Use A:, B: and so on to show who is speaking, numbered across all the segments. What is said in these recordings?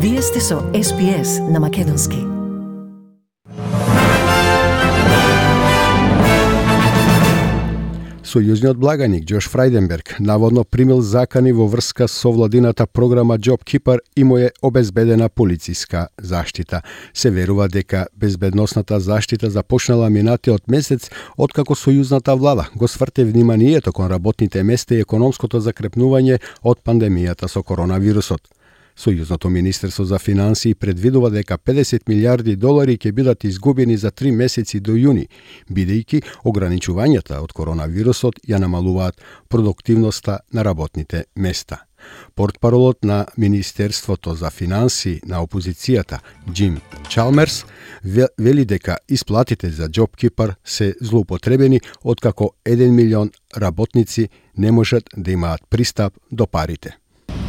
A: Вие сте со SPS на Македонски.
B: Сојузниот благаник Џош Фрајденберг наводно примил закани во врска со владината програма JobKeeper и му е обезбедена полициска заштита. Се верува дека безбедносната заштита започнала минатиот месец, откако сојузната влада го сврте вниманието кон работните места и економското закрепнување од пандемијата со коронавирусот. Сојузното министерство за финансии предвидува дека 50 милиарди долари ќе бидат изгубени за 3 месеци до јуни, бидејќи ограничувањата од коронавирусот ја намалуваат продуктивноста на работните места. Портпаролот на Министерството за финансии на опозицијата, Џим Чалмерс, вели дека исплатите за JobKeeper се злоупотребени откако 1 милион работници не можат да имаат пристап до парите.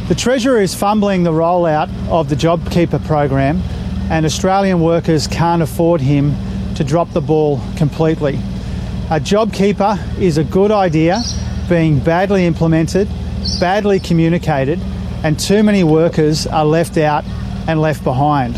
C: The Treasurer is fumbling the rollout of the JobKeeper program, and Australian workers can't afford him to drop the ball completely. A JobKeeper is a good idea being badly implemented, badly communicated, and too many workers are left out and left behind.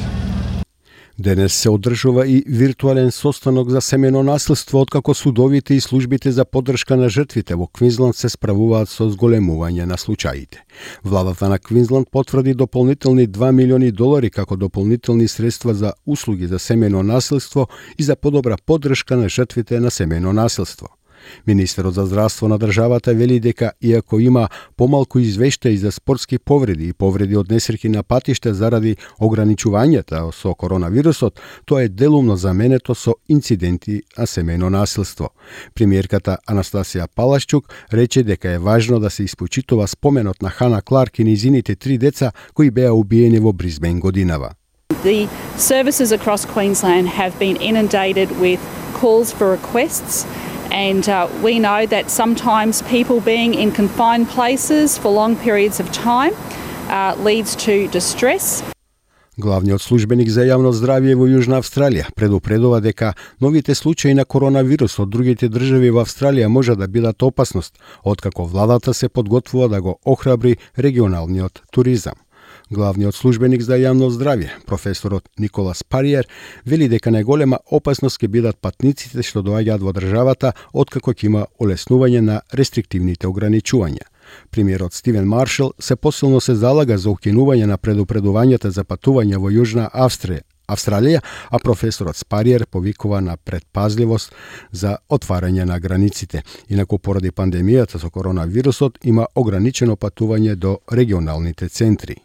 B: Денес се одржува и виртуелен состанок за семено насилство, откако судовите и службите за поддршка на жртвите во Квинсленд се справуваат со зголемување на случаите. Владата на Квинсленд потврди дополнителни 2 милиони долари како дополнителни средства за услуги за семено насилство и за подобра поддршка на жртвите на семено насилство. Министерот за здравство на државата вели дека иако има помалку извештаи за спортски повреди и повреди од несреќи на патишта заради ограничувањата со коронавирусот, тоа е делумно заменето со инциденти на семејно насилство. Премиерката Анастасија Палашчук рече дека е важно да се испочитува споменот на Хана Кларк и низините 3 деца кои беа убиени во Брисбен годинава.
D: The services across Queensland have been inundated with calls for requests. And we know that sometimes people being in confined places for long periods of time leads to distress.
B: Главниот службеник за јавно здравје во Јужна Австралија предупредува дека новите случаи на коронавирус од другите држави во Австралија може да бидат опасност, откако владата се подготвува да го охрабри регионалниот туризам. Главниот службеник за јавно здравје, професорот Николас Париер, вели дека најголема опасност ќе бидат патниците што доаѓаат во државата откако ќе има олеснување на рестриктивните ограничувања. Премиерот Стивен Маршал се посилно се залага за укинување на предупредувањата за патување во Јужна Австралија, а професорот Спариер повикува на предпазливост за отварање на границите. Инаку поради пандемијата со коронавирусот има ограничено патување до регионалните центри.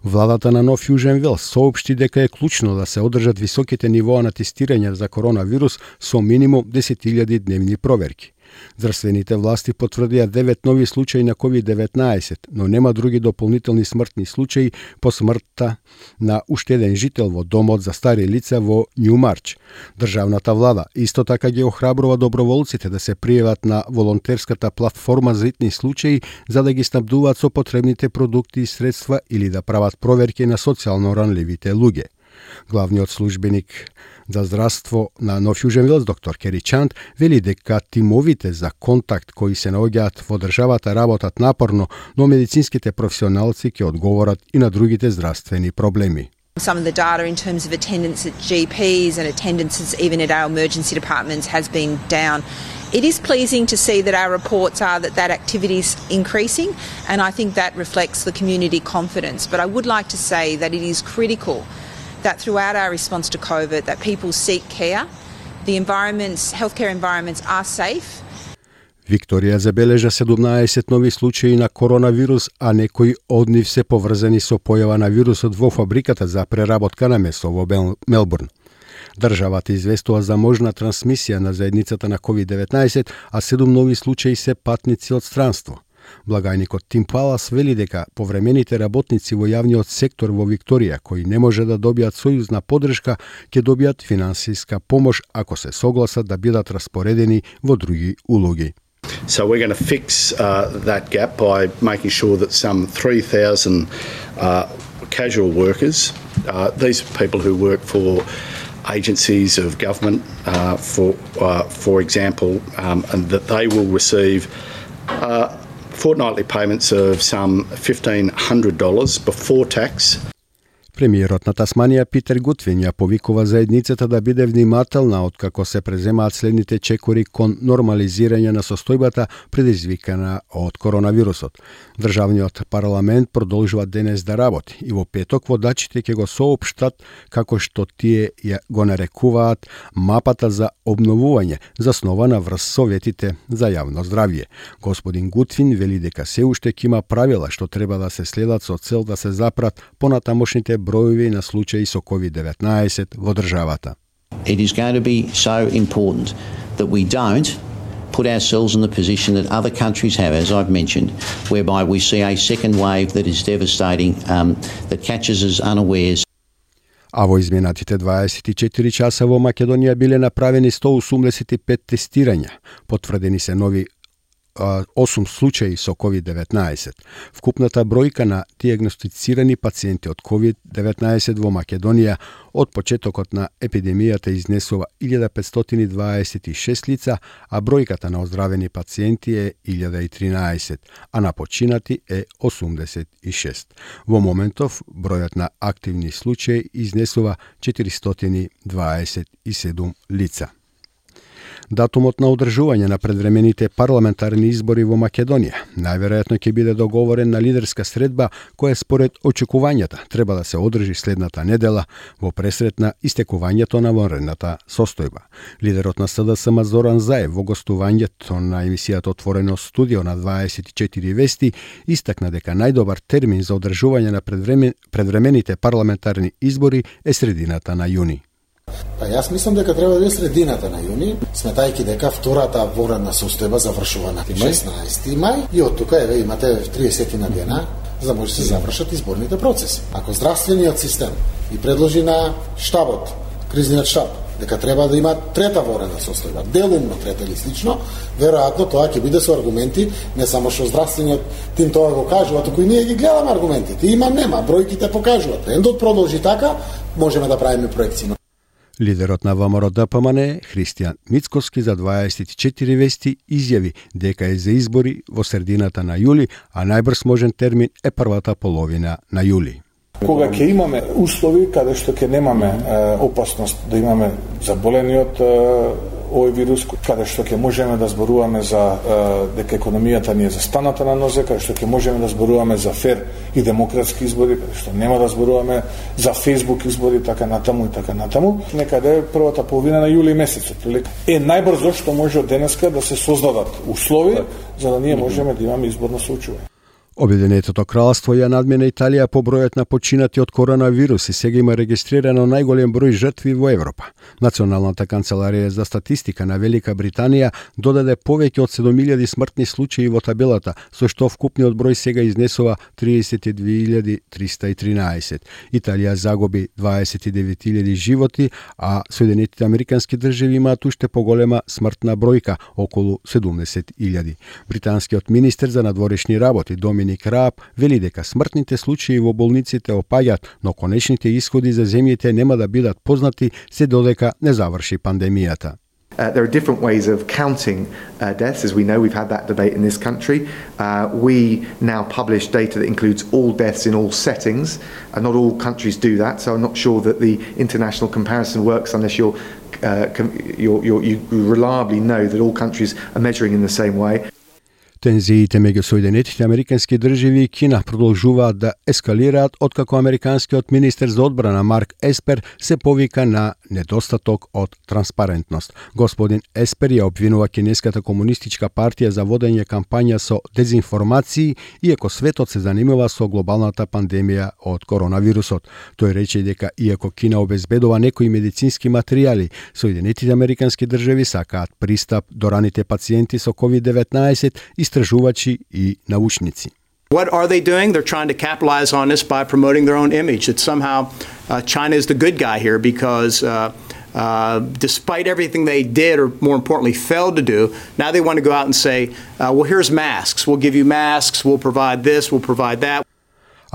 B: Владата на Нов Јужен Велс соопшти дека е клучно да се одржат високите нивоа на тестирање за коронавирус со минимум 10.000 дневни проверки. Здравствените власти потврдија 9 нови случаи на COVID-19, но нема други дополнителни смртни случаи по смртта на уште еден жител во домот за стари лица во Њумарч. Државната влада исто така ги охрабрува доброволците да се пријават на волонтерската платформа за итни случаи за да ги снабдуваат со потребните продукти и средства или да прават проверки на социјално ранливите луѓе. Главниот службеник за здравство на Нов Јужен Велс, доктор Кери Чанд, вели дека тимовите за контакт кои се наоѓаат во државата работат напорно, но медицинските професионалци ќе одговорат и на другите здравствени проблеми.
E: Some of the data in terms of attendance at GPs and attendances even at our emergency departments has been down. It is pleasing to see that our reports are that activity is increasing, and I think that reflects the community confidence. But I would like to say that it is critical that throughout our response to COVID that people seek care, the healthcare environments are safe.
B: Викторија забележа 17 нови случаи на коронавирус, а некои од нив се поврзани со појава на вирусот во фабриката за преработка на месо во Мелбурн. Државата известува за можна трансмисија на заедницата на COVID-19, а 7 нови случаи се патници од странство. Благајникот Тим Палас вели дека повремените работници во јавниот сектор во Викторија кои не може да добијат сојузна поддршка ќе добијат финансиска помош ако се согласат да бидат распоредени во други улоги.
F: So we're going to fix that gap by making sure that some 3,000 casual workers, these are people who work for agencies of government, for example, and that they will receive fortnightly payments of some $1,500 before tax.
B: Премиерот на Тасманија Питер Гутвин ја повикува заедницата да биде внимателна откако се преземаат следните чекори кон нормализирање на состојбата предизвикана од коронавирусот. Државниот парламент продолжува денес да работи и во петок водачите ќе го соопштат како што тие ја го нарекуваат мапата за обновување заснована врз советите за јавно здравје. Господин Гутвин вели дека се уште ќе има правила што треба да се следат со цел да се запрат понатамошните броеви на случаи со COVID-19 во државата.
G: It is going to be so important that we don't put ourselves in the position that other countries have, as I've mentioned, whereby we see a second wave that is devastating, that catches us unawares.
B: А во изминатите 24 часа во Македонија биле направени 185 тестирања. Потврдени се нови 8 случаи со COVID-19. Вкупната бројка на диагностицирани пациенти од COVID-19 во Македонија од почетокот на епидемијата изнесува 1526 лица, а бројката на оздравени пациенти е 1013, а на починати е 86. Во моментов, бројот на активни случаи изнесува 427 лица. Датумот на одржување на предвремените парламентарни избори во Македонија најверојатно ќе биде договорен на лидерска средба која според очекувањата треба да се одржи следната недела во пресрет на истекувањето на вонредната состојба. Лидерот на СДСМ Зоран Заев во гостувањето на емисијата Отворено студио на 24 вести истакна дека најдобар термин за одржување на предвремените парламентарни избори е средината на јуни.
H: Па јас мислам дека треба да биде средината на јуни, сметајќи дека втората вонредна состојба завршува на 16 мај и од тука еве имате 30 на дена за да може да се завршат изборните процеси. Ако здравствениот систем и предложи на штабот, кризниот штаб, дека треба да има трета вонредна состојба, делумно трета или слично, веројатно тоа ќе биде со аргументи, не само што здравствениот тим тоа го кажува, туку и ние ги гледаме аргументите. Има, нема, бројките покажуваат. Ендот продолжи така, можеме да правиме проекции.
B: Лидерот на ВМРО-ДПМН Христијан Мицкоски за 24 вести изјави дека е за избори во средината на јули, а најбрз можен термин е првата половина на јули.
I: Кога ќе имаме услови каде што ќе немаме опасност да имаме заболени од овој вирус, каде што ќе можеме да зборуваме за дека економијата ни е застаната на нозе, каде што ќе можеме да зборуваме за фер и демократски избори, каде што нема да зборуваме за Facebook избори, така натаму и така натаму, некаде првата половина на јули месецот. Е најбрзо што може од денеска да се создадат услови за да ние можеме да имаме изборно соучување.
B: Обединетото кралство ја надмина Италија по бројот на починати од коронавирус и сега има регистрирано најголем број жртви во Европа. Националната канцеларија за статистика на Велика Британија додаде повеќе од 7000 смртни случаи во табелата, со што вкупниот број сега изнесува 32.313. Италија загуби 29.000 животи, а Соединетите Американски држави имаат уште поголема смртна бројка, околу 70.000. Британскиот министер за надворешни работи Доминик Рааб вели дека смртните случаи во болниците опаѓаат, но конечните исходи за земјите нема да бидат познати се додека не заврши пандемијата.
J: There are different ways of counting deaths. As we know, we've had that debate in this country. We now publish data that includes all deaths in all settings. Not all countries do that, so I'm not sure that the international comparison works unless you reliably know that all countries are measuring in the same way.
B: Тензиите меѓу Соединетите Американски држави и Кина продолжуваат да ескалираат откако американскиот министер за одбрана Марк Еспер се повика на недостаток од транспарентност. Господин Еспер ја обвинува Кинеската комунистичка партија за водење кампања со дезинформации, иако светот се занимава со глобалната пандемија од коронавирусот. Тој рече дека иако Кина обезбедува некои медицински материјали, Соединетите Американски држави сакаат пристап до раните пациенти со COVID-19, истражувачи и научници.
K: What are they doing? They're trying to capitalize on this by promoting their own image. That somehow China is the good guy here because despite everything they did, or more importantly, failed to do, now they want to go out and say, well, here's masks. We'll give you masks. We'll provide this. We'll provide that.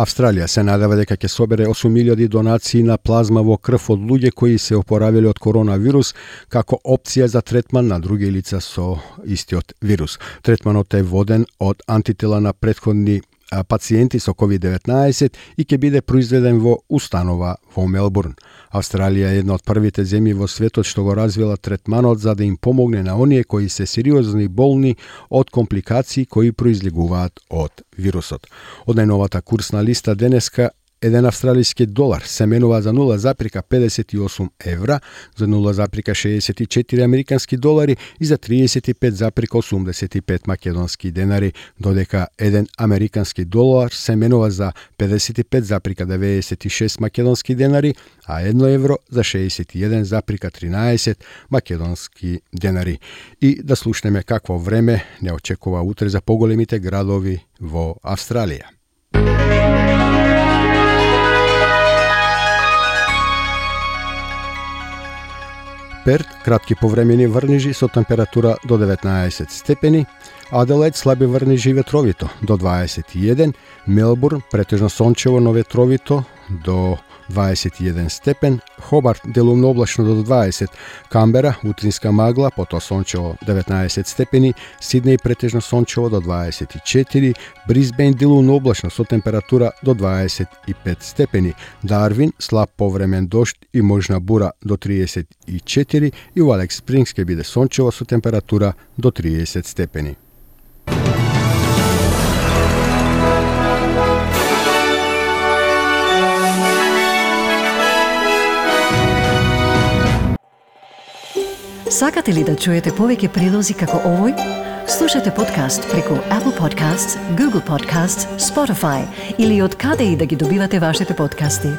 B: Австралија се надева дека ќе собере 8.000 донации на плазма во крв од луѓе кои се опоравиле од коронавирус како опција за третман на други лица со истиот вирус. Третманот е воден од антитела на претходни пациенти со COVID-19 и ќе биде произведен во установа во Мелбурн. Австралија е една од првите земји во светот што го развила третманот за да им помогне на оние кои се сериозни болни од компликации кои произлегуваат од вирусот. Од најновата курсна листа денеска, еден австралиски долар се менува за 0,58 евра, за 0,64 американски долари и за 35,85 македонски денари, додека еден американски долар се менува за 55,96 македонски денари, а 1 евро за 61,13 македонски денари. И да слушнеме какво време не очекува утре за поголемите градови во Австралија. Перт, кратки повремени врнежи со температура до 19 степени, Аделаид слаби врнежи и ветровито до 21, Мелбурн претежно сончево но ветровито до 21 степен, Хобарт делумно облачно до 20, Камбера утринска магла, потоа сончево 19 степени, Сиднеј претежно сончево до 24, Брисбејн делумно облачно со температура до 25 степени, Дарвин слаб повремен дожд и можна бура до 34 и во Алекс Спрингс ќе биде сончево со температура до 30 степени.
A: Сакате ли да чуете повеќе прилози како овој? Слушате подкаст преку Apple Podcasts, Google Podcasts, Spotify или од каде и да ги добивате вашите подкасти.